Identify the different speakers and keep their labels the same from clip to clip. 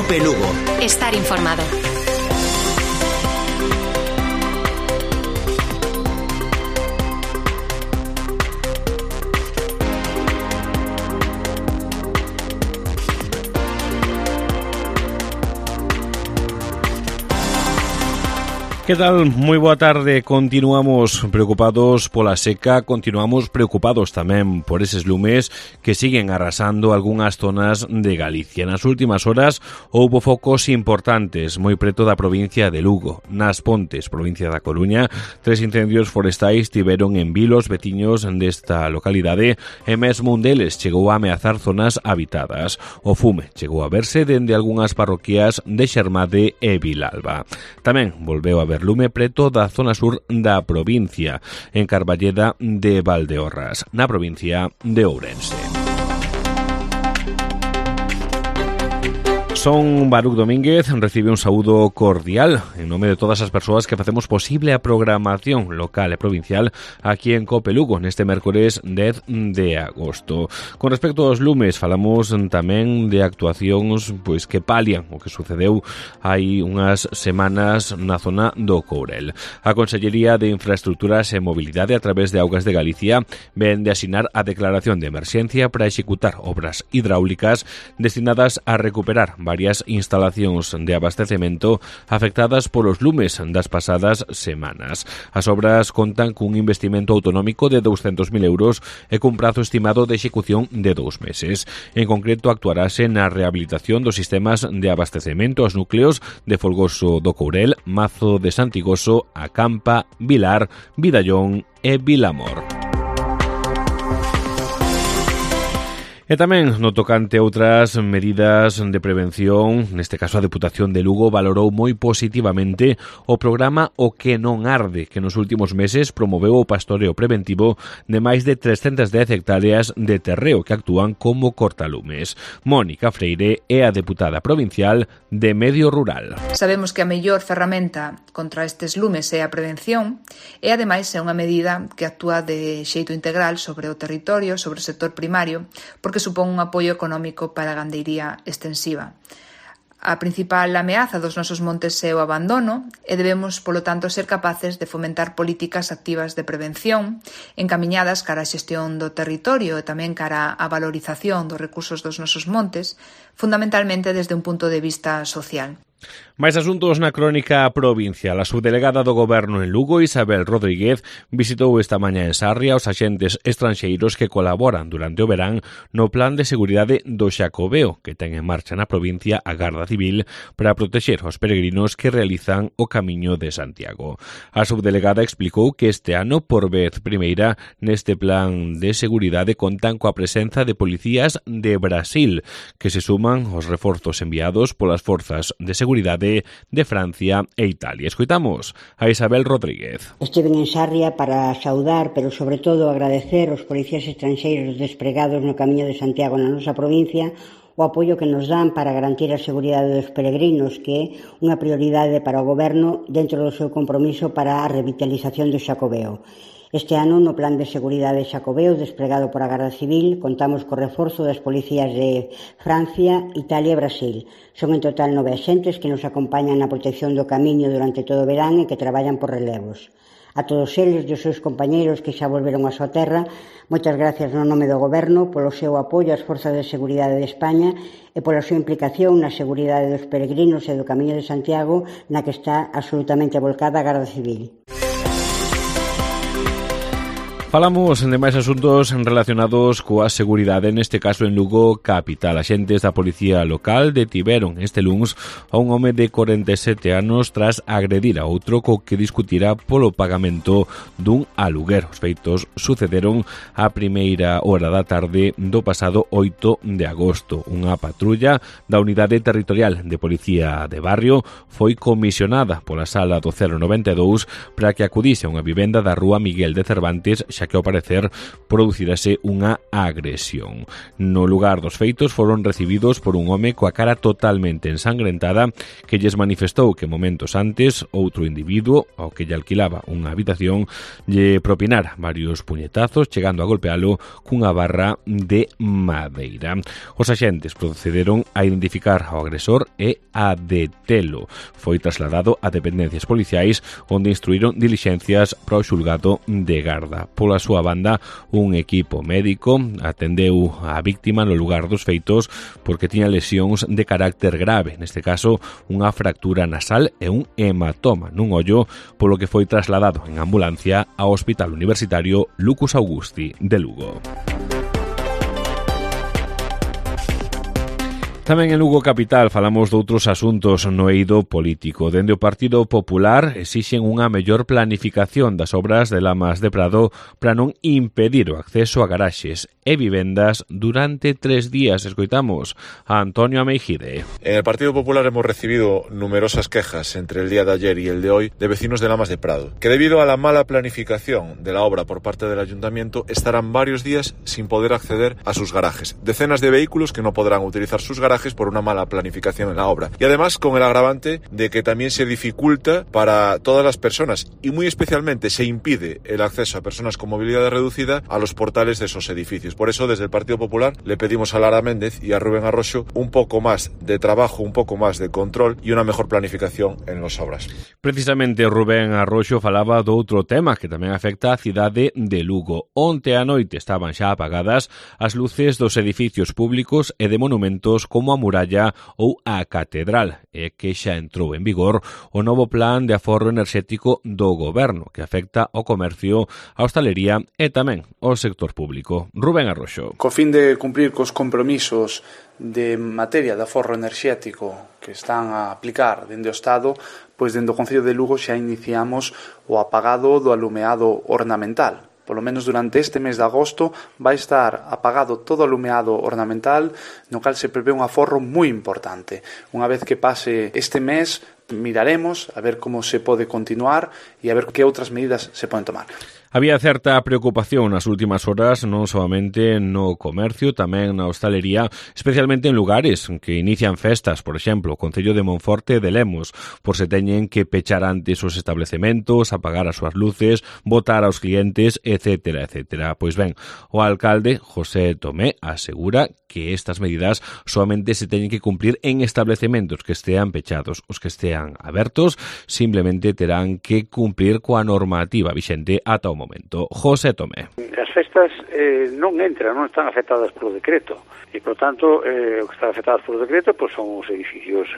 Speaker 1: COPE Lugo.
Speaker 2: Estar informado.
Speaker 3: Que tal? Moi boa tarde. Continuamos preocupados pola seca, continuamos preocupados tamén por eses lumes que siguen arrasando algunhas zonas de Galicia. Nas últimas horas houbo focos importantes moi preto da provincia de Lugo. Nas Pontes, provincia da Coruña, 3 incendios forestais tiveron en vilos veciños desta localidade e mesmo un deles chegou a ameazar zonas habitadas. O fume chegou a verse dende algunhas parroquias de Xermade e Vilalba. Tamén volveu a ver lume preto da zona sur da provincia, en Carballeda de Valdeorras, na provincia de Ourense. Son Baruch Domínguez, recibe un saúdo cordial en nome de todas as persoas que facemos posible a programación local e provincial aquí en COPE Lugo neste mércores 10 de agosto. Con respecto aos lumes, falamos tamén de actuacións que palian o que sucedeu hai unhas semanas na zona do Courel. A Consellería de Infraestructuras e Mobilidade a través de Augas de Galicia ven de asinar a declaración de emerxencia para executar obras hidráulicas destinadas a recuperar varias instalacións de abastecemento afectadas polos lumes das pasadas semanas. As obras contan cun investimento autonómico de 200.000 euros e cun prazo estimado de execución de 2 meses. En concreto, actuarase na rehabilitación dos sistemas de abastecemento aos núcleos de Folgoso do Courel, Mazo de Santigoso, Acampa, Vilar, Vidallón e Vilamor. E tamén no tocante a outras medidas de prevención, neste caso a Deputación de Lugo valorou moi positivamente o programa O que non arde, que nos últimos meses promoveu o pastoreo preventivo de máis de 310 hectáreas de terreo que actúan como cortalumes. Mónica Freire é a deputada provincial de Medio Rural.
Speaker 4: Sabemos que a mellor ferramenta contra estes lumes é a prevención e ademais é unha medida que actúa de xeito integral sobre o territorio, sobre o sector primario, porque supón un apoio económico para a gandeiría extensiva. A principal ameaza dos nosos montes é o abandono e debemos, polo tanto, ser capaces de fomentar políticas activas de prevención encamiñadas cara á xestión do territorio e tamén cara á valorización dos recursos dos nosos montes, fundamentalmente desde un punto de vista social.
Speaker 3: Mais asuntos na crónica provincial. A subdelegada do Goberno en Lugo, Isabel Rodríguez, visitou esta mañá en Sarria os axentes estranxeiros que colaboran durante o verán no plan de seguridade do Xacobeo, que ten en marcha na provincia a Garda Civil para protexer os peregrinos que realizan o Camiño de Santiago. A subdelegada explicou que este ano, por vez primeira, neste plan de seguridade contan coa presenza de policías de Brasil, que se suman aos reforzos enviados polas forzas de seguridade de Francia e Italia. Escoitamos a Isabel Rodríguez.
Speaker 5: Estiven en Sarria para saudar, pero sobre todo agradecer aos policías estranxeiros despregados no Camiño de Santiago na nosa provincia o apoio que nos dan para garantir a seguridade dos peregrinos, que é unha prioridade para o Goberno dentro do seu compromiso para a revitalización do Xacobeo. Este ano, no Plan de Seguridade Xacobeo, desplegado por a Garda Civil, contamos co reforzo das policías de Francia, Italia e Brasil. Son en total 9 axentes que nos acompañan na protección do camiño durante todo o verán e que traballan por relevos. A todos eles e os seus compañeiros que xa volveron á súa terra, moitas gracias no nome do Goberno polo seu apoio ás Forzas de Seguridade de España e pola súa implicación na seguridade dos peregrinos e do Camiño de Santiago, na que está absolutamente volcada a Garda Civil.
Speaker 3: Falamos de máis asuntos relacionados coa seguridade, neste caso en Lugo capital. Axentes da policía local detiveron este luns a un home de 47 anos tras agredir a outro co que discutira polo pagamento dun aluguer. Os feitos sucederon a primeira hora da tarde do pasado 8 de agosto. Unha patrulla da Unidade Territorial de Policía de Barrio foi comisionada pola Sala do 092 para que acudise a unha vivenda da Rúa Miguel de Cervantes, xa que ao parecer producirase unha agresión. No lugar dos feitos foron recibidos por un home coa cara totalmente ensangrentada que lles manifestou que momentos antes outro individuo ao que lle alquilaba unha habitación lle propinara varios puñetazos, chegando a golpealo cunha barra de madeira. Os axentes procederon a identificar ao agresor e a detelo. Foi trasladado a dependencias policiais onde instruíron dilixencias para o xulgado de Garda. Pola súa banda, un equipo médico atendeu a víctima no lugar dos feitos porque tiña lesións de carácter grave, neste caso unha fractura nasal e un hematoma nun ollo, polo que foi trasladado en ambulancia ao Hospital Universitario Lucus Augusti de Lugo. Tamén en Lugo capital falamos doutros asuntos no eido político. Dende o Partido Popular exixen unha mellor planificación das obras de Lamas de Prado para non impedir o acceso a garaxes e vivendas durante 3 días. Escoitamos a Antonio Ameijide.
Speaker 1: En el Partido Popular hemos recibido numerosas quejas entre el día de ayer y el de hoy de vecinos de Lamas de Prado, que debido a la mala planificación de la obra por parte del Ayuntamiento estarán varios días sin poder acceder a sus garajes. Decenas de vehículos que no podrán utilizar sus garajes por una mala planificación en la obra. Y además con el agravante de que también se dificulta para todas las personas y muy especialmente se impide el acceso a personas con movilidad reducida a los portales de esos edificios. Por eso desde el Partido Popular le pedimos a Lara Méndez y a Rubén Arroxo un poco más de trabajo, un poco más de control y una mejor planificación en las obras.
Speaker 3: Precisamente Rubén Arroxo falaba do outro tema que tamén afecta a cidade de Lugo. Onte a noite estaban xa apagadas as luces dos edificios públicos e de monumentos como a muralla ou a catedral, e que xa entrou en vigor o novo plan de aforro enerxético do goberno que afecta ao comercio, a hostalería e tamén ao sector público. Rubén Arroxo.
Speaker 2: Co fin de cumprir cos compromisos de materia de aforro enerxético que están a aplicar dende o Estado, pois dende o Concello de Lugo xa iniciamos o apagado do alumeado ornamental. Polo menos durante este mes de agosto vai estar apagado todo o alumeado ornamental, no cal se prevé un aforro moi importante. Unha vez que pase este mes, miraremos a ver como se pode continuar e a ver que outras medidas se poden tomar.
Speaker 3: Había certa preocupación nas últimas horas non solamente no comercio, tamén na hostalería, especialmente en lugares que inician festas, por exemplo, o Concello de Monforte de Lemos, por se teñen que pechar antes os establecementos, apagar as súas luces, botar aos clientes, etcétera, etcétera. Pois ben, o alcalde José Tomé asegura que estas medidas solamente se teñen que cumplir en establecementos que estean pechados. Os que estean abertos simplemente terán que cumplir coa normativa vixente ata o momento. José Tomé.
Speaker 6: As festas non están afectadas polo decreto e, por tanto, o que están afectadas polo decreto pois son os edificios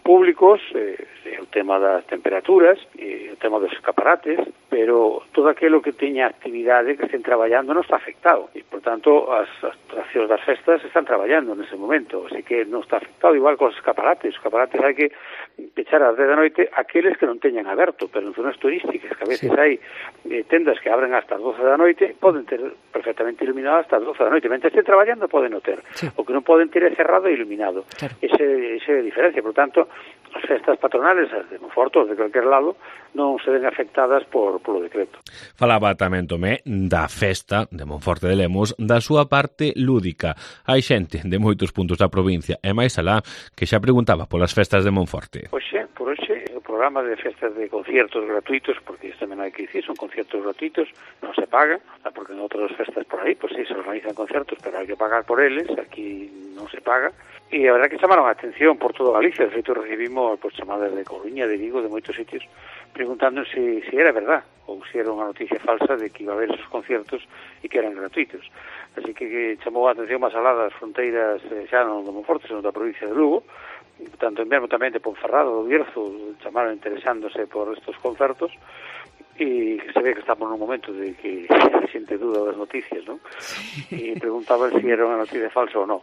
Speaker 6: públicos, o tema das temperaturas, o tema dos escaparates, pero todo aquilo que teña actividade que estén traballando non está afectado e, por tanto, as atraccións das festas están traballando nese momento, así que non está afectado igual que os escaparates. Os escaparates hai que pechar ás 10 da noite aqueles que non teñan aberto, pero en zonas turísticas que a veces hai tendas que abren hasta as 12 da noite, poden ter perfectamente iluminado hasta as 12 da noite. Mentre estén traballando poden o ter. Sí. O que non poden ter é cerrado e iluminado. Claro. Esa é a diferencia. Por tanto, as festas patronales, as de Monforte, de calquer lado, non se ven afectadas polo decreto.
Speaker 3: Falaba tamén Tomé da festa de Monforte de Lemos, da súa parte lúdica. Hai xente de moitos puntos da provincia e máis alá que xa preguntaba polas festas de Monforte.
Speaker 6: Por hoxe, o programa de festas de conciertos gratuitos, porque isto tamén hai que dicir, son conciertos gratuitos, non se pagan, porque en outras festas por aí, pois sí, se organizan conciertos, pero hai que pagar por eles, aquí non se paga. E a verdad que chamaron a atención por toda Galicia. De feito, recibimos chamadas de Coruña, de Vigo, de moitos sitios, preguntando se era verdad ou se era unha noticia falsa de que iba a haber esos conciertos e que eran gratuitos. Así que chamou a atención máis alá das fronteiras xa non de Monforte, senón da provincia de Lugo, tanto en Bermo tamén de Ponferrado, do Bierzo, chamaron interesándose por estos concertos, e se ve que estamos nun momento de que a xente duda das noticias, non? E preguntaban se era unha noticia falsa ou non.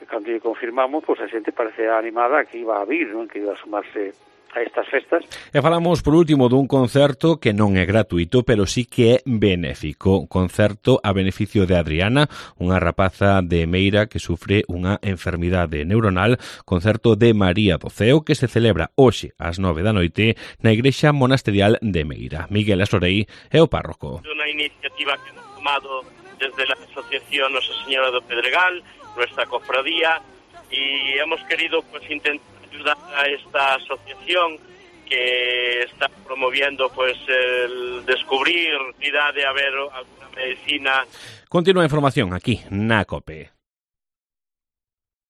Speaker 6: Cando lle confirmamos, pois a xente parece animada que iba a vir, non? Que iba a sumarse estas festas.
Speaker 3: E falamos por último dun concerto que non é gratuito, pero sí que é benéfico. Concerto a beneficio de Adriana, unha rapaza de Meira que sufre unha enfermidade neuronal. Concerto de María do Ceo que se celebra hoxe ás 9 da noite na Igrexa Monasterial de Meira. Miguel Asorei é o párroco.
Speaker 7: Unha iniciativa que hemos tomado desde la Asociación Nosa Señora do Pedregal, nuestra cofradía, y hemos querido pues intentar ayudar a esta asociación que está promoviendo pues el descubrir la idea de haber alguna medicina.
Speaker 3: Continúa a información aquí na COPE.